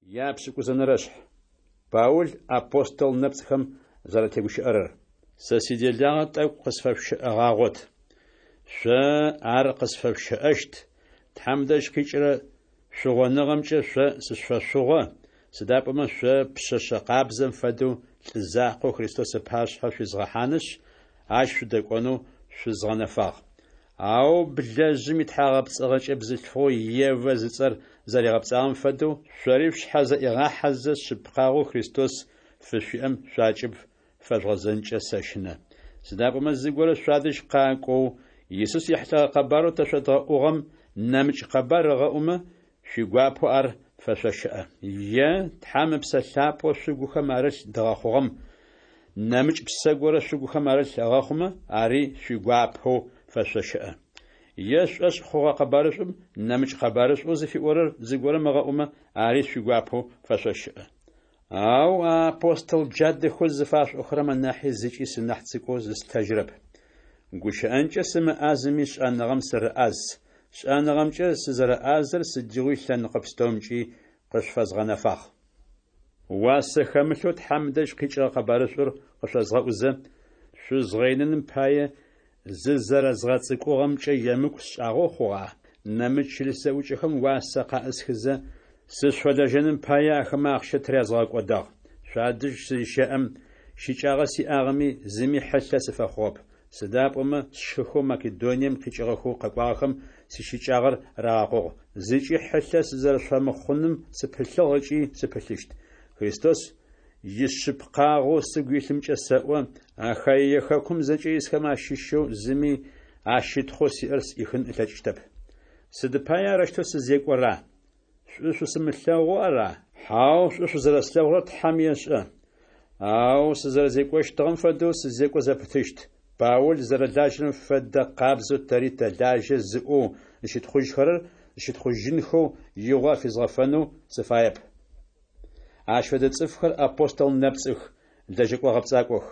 Япшӏыкӏузэнэрэшъхь. Паул апостол нэпцӏхэм зэратегущыӏэрэр. Сэ сиделагъэ тӏэкӏу къысфэшъущыӏэгъагъот. Шъо ар къысфэшъущыӏэщт, Тхьэм дэжь къикӏырэ шъугъоныгъэмкӏэ шъо сышъошъугъо, сыда пӏомэ шъо пшъэшъэ къабзэм фэдэу лӏы закъоу Христос ыпашъхьэ шъуизгъэхьанышъ, ащ шъудэкӏонэу шъузгъэнэфагъ. Ау блэжъым итхьагъэпцӏыгъэкӏэ бзылъфыгъэу Евэ зыцӏэр зэригъэпцӏагъэм фэдэу, шъори шъушъхьэ зэӏигъахьэзэ, шъыпкъагъэу Христос фышъуиӏэм шъуакӏыб фэжъугъэзэнкӏэ сэщынэ. Сыда пӏомэ зыгорэ шъуадэжь къакӏоу, Исус ехьылӏэгъэ къэбарэу тэ шъодгъэӏугъэм нэмыкӏ къэбар ыгъэӏумэ, шъуигуапэу ар фэшъощыӏэ. Е Тхьэм Ыпсэ Лъапӏэу шъугухэм арылъ дгъэхъугъэм нэмыкӏ псэ горэ шъугухэм арылъ ыгъэхъумэ, ари шъуигуапэу фэшъощыӏэ. Е шъушӏошъ хъугъэ къэбарышӏум нэмыкӏ къэбарышӏоу зыфиӏорэр зыгорэм ыгъэӏумэ, ари шъуигуапэу фэшъощыӏэ. Ау а апостол джадэхэу зыфашъуӏохэрэм анахьи зыкӏи сынахь цӏыкӏоу зыслъытэжьырэп. Гущыӏэнкӏэ сымыӏазэми шӏэныгъэм сырыӏаз, шӏэныгъэмкӏэ сызэрэӏазэр сыдигъуи лъэныкъо пстэумкӏи къышъуфэзгъэнэфагъ. Уасэ хэмылъэу Тхьэм дэжь къикӏыгъэ къэбарышӏур къышъозгъэӏузэ, шъузгъэиныным пае зызэрэзгъэцӏыкӏугъэмкӏэ емыкӏу сшӏагъэу хъугъа? Нэмыкӏ чылыс зэӏукӏэхэм уасэ къаӏысхызэ, сышъуфэлэжьэным пае ахэмэ ахъщэ тырязгъэгъэкӏодагъ. Шъуадэжь сызщэӏэм, щыкӏагъэ сиӏагъэми, зыми хьылъэ сыфэхъугъэп. Сыда пӏомэ сшыхэу Македонием къикӏыгъэхэу къэкӏуагъэхэм сищыкӏагъэр рагъэкъугъ. Зыкӏи хьылъэ сызэрэшъуфэмыхъуным сыпылъыгъ ыкӏи сыпылъыщт. Христос ишъыпкъагъэу сыгу илъымкӏэ сэӏо, Ахаие хэкум зэкӏэ исхэм ащыщэу зыми а щытхъоу сиӏэр сӏихын ылъэкӏыщтэп. Сыд пае арэущтэу сызекӏора? Шӏу шъусымылъэгъоу ара? Хьау, шӏу шъузэрэслъэгъурэр Тхьэм ешӏэ. Ау сызэрэзекӏощтыгъэм фэдэу сызекӏо зэпытыщт. Паул зэрэлажьэрэм фэдэ къабзэу тэри тэлажьэ зыӏоу зыщытхъужьхэрэр зыщытхъужьынхэу игъо афизгъэфэнэу сыфаеп. Ащ фэдэ цӏыфхэр апостол нэпцӏых, лэжьэкӏо гъэпцӏакӏох.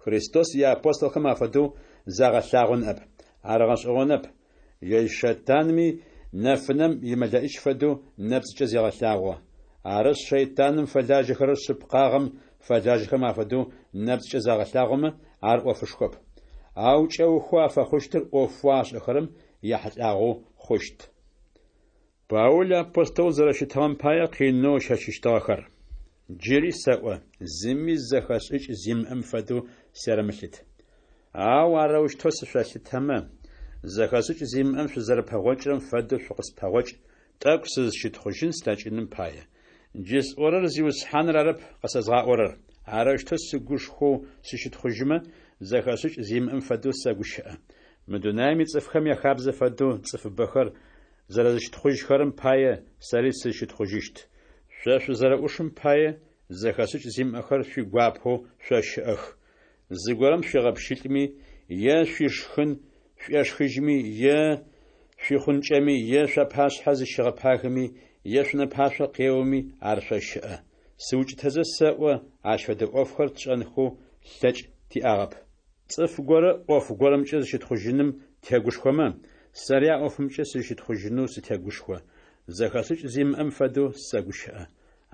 Христос иапостолхэм афэдэу загъэлъагъо ныӏэп. Ар гъэшӏэгъонэп, ежь шэйтанми нэфынэм имэлэӏич фэдэу нэпцӏкӏэ зегъэлъагъо. Арышъ, шэйтаным фэлажьэхэрэр шъыпкъагъэм фэлажьэхэрэм афэдэу нэпцӏкӏэ загъэлъагъомэ, ар ӏофышхоп. Ау кӏэухэу афэхъущтыр ӏофэу ашӏэхэрэм яхьылӏагъэу хъущт. Паул апостолэу зэрэщытыгъэм пае къинэу ыщэчыщтыгъэхэр. Джыри сэӏо, зыми зэхэшӏыкӏ зимыӏэм фэдэу серэмылъыт. Ау арэущтэу сышъолъытэмэ, зэхэшӏыкӏ зимыӏэм шъузэрэпэгъокӏырэм фэдэу шъукъыспэгъокӏ, тӏэкӏу сызщытхъужьын слъэкӏыным пае. Джы сӏорэр Зиусхьаныр арэп къэсэзгъаӏорэр. Арэущтэу сыгушхоу сыщытхъужьымэ, зэхэшӏыкӏ зимыӏэм фэдэу сэгущыӏэ. Мы дунаим ицӏыфхэм яхабзэ фэдэу цӏыфыбэхэр зэрэзыщытхъужьхэрэм пае сэри сызщытхъужьыщт. Шъо шъузэрэӏушым пае зэхэшӏыкӏ зимыӏэхэр шъуигуапэу шъощыӏэх. Зыгорэм шъуигъэпщылӏми, е шъуишхын шъуешхыжьми, е шъуихъункӏэми, е шъуапашъхьэ зыщигъэпагэми, е шъунэпашъо къеоми, ар шъощыӏэ. Сыукӏытэзэ сэӏо, ащ фэдэ ӏофхэр тшӏэнхэу лъэкӏ тиӏагъэп. Цӏыф горэ ӏоф горэмкӏэ зыщытхъужьыным тегушхомэ, сэри а ӏофымкӏэ сызщытхъужьынэу сытегушхо. Зэхэшӏыкӏ зимыӏэм фэдэу сэгущыӏэ.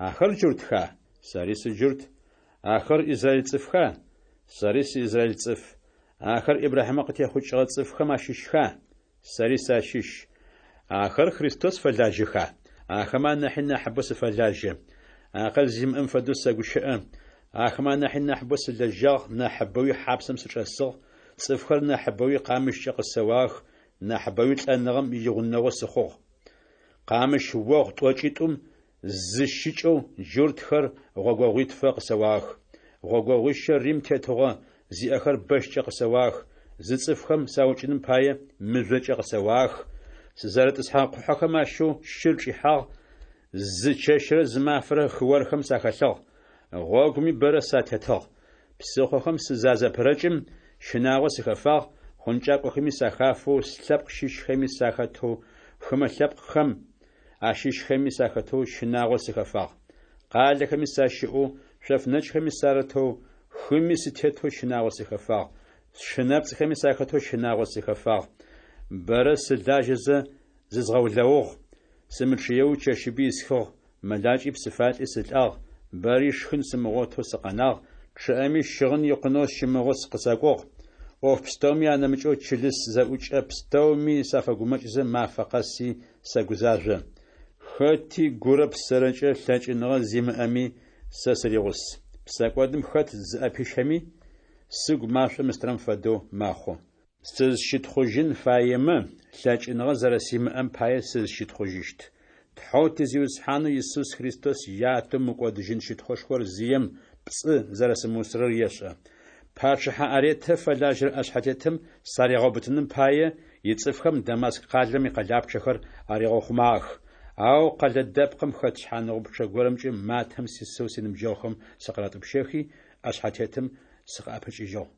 Ахэр джуртха? Сэри сыджурт. Ахэр израиль цӏыфха? Сэри сыизраиль цӏыф. Ахэр Ибрахьимэ къытехъукӏыгъэ цӏыфхэм ащыщха? Сэри сащыщ. Ахэр Христос фэлажьэха? Ахэмэ анахьи нахьыбэу сыфэлажьэ. Акъыл зимыӏэм фэдэу сэгущыӏэ. Ахэмэ анахьи нахьыбэу сылэжьагъ, нахьыбэуи хьапсэм сычӏэсыгъ, цӏыфхэр нахьыбэуи къамыщкӏэ къысэуагъэх, нахьыбэуи лӏэныгъэм игъунэгъу сыхъугъ. Къамыщ огъу тӏокӏитӏум зы щыкӏэу джуртхэр гъогогъуитфэ къысэуагъэх. Гъогогъуищэ Рим тетыгъо зиӏэхэр бэщкӏэ къысэуагъэх, зы цӏыфхэм саукӏыным пае мыжъокӏэ къысэуагъэх, сызэрытӏысхьэгъэ къухьэхэм ащэу щыр чӏихьагъ, зы чэщрэ зы мафэрэ хыорхэм сахэлъыгъ, гъогуми бэрэ сатетыгъ. Псыхъохэм сызазэпырэкӏым, щынагъо сыхэфагъ, хъункӏакӏохэми сахафэу, слъэпкъ щыщхэми сахэтэу, хымэ лъэпкъхэм ащыщхэми сахэтэу щынагъо сыхэфагъ. Къалэхэми сащыӏэу, шъоф нэкӏхэми сарытэу, хыми сытетэу щынагъо сыхэфагъ, сшы нэпцӏхэми сахэтэу щынагъо сыхэфагъ. Бэрэ сылажьэзэ зызгъэулэугъ, сымычъыеуи чэщыби исхыгъ. мэлакӏи псыфалӏи сылӏагъ, бэри шхын сымыгъотэу сыкъэнагъ, чъыӏэми щыгъын икъунэу сщымыгъэу къысакӏугъ. ӏоф пстэуми анэмыкӏэу чылыс зэӏукӏэ пстэуми сафэгумэкӏзэ, мафэ къэси сэгузажъо. Хэти гурэ псэрэкӏэ лъэкӏыныгъэ зимыӏэми, сэ сыригъус. Псэкӏодым хэт зыӏэпищэми, сыгу машӏом ыстырэм фэдэу мэхъу. Сызщытхъужьын фаемэ, лъэкӏыныгъэ зэрэсимыӏэм пае сызщытхъужьыщт. Тхьэу ти Зиусхьанэу Исус Христос Ятэу мыкӏодыжьын щытхъушхор зием пцӏы зэрэсымыусырэр ешӏэ. Пачъыхьэ Аретэ фэлажьэрэ ӏэшъхьэтетым саригъэубытыным пае, ицӏыфхэм Дамаск къалэм икъэлапчъэхэр аригъэухъумагъэх. Ау къэлэ дэпкъым хэт шъхьаныгъупчъэ горэмкӏэ матэм сисэу синыбджэгъухэм сыкъыратӏупщэхи, ӏэшъхьэтетым сыкъыӏэпыкӏыжьыгъ.